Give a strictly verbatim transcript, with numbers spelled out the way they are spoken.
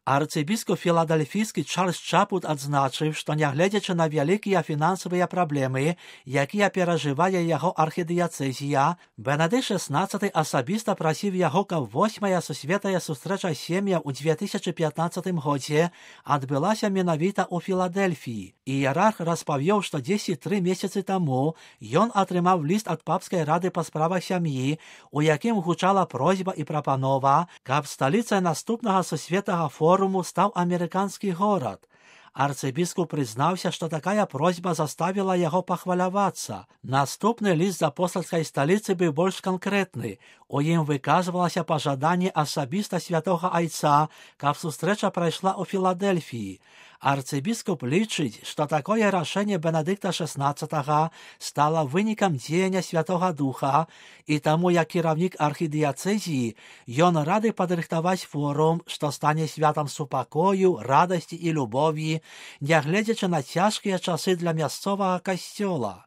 Арцыбіскуп філадельфійскі Чарльз Чапут адзначыў, што нягледзячы на вялікія фінансавыя праблемы, якія перажывае яго архідыяцэзія, Бенедыкт шаснаццаты асабіста прасіў яго, каб восьмая сусветная сустрэча сем'яў у две тысячы пятнаццатым годзе адбылася менавіта ў Філадельфіі. Іерарх распавёў, што дзесяць тры месяцы таму ён атрымаў ліст ад папскай рады па справах сям'і, у якім гучала просьба і прапанова, каб сталіцай наступнага сусветнага форуму стаў амерыканскі горад. Арцыбіскуп прызнаўся, што такая просьба заставіла яго пахвалявацца. Наступны ліст з апостальскай сталіцы быў больш канкрэтны. У ім выказвалася пажаданне асабіста святога айца, каб сустрэча прайшла ў Філадельфіі. Арцыбіскуп лічыць, што такое рашэнне Бенедыкта шаснаццатага стала вынікам дзеяння Святога Духа, і таму як кіраўнік архідыяцэзіі ён рады падрыхтаваць форум, што стане святам супакою, радасці і любові, нягледзячы на цяжкія часы для мясцовага касцёла.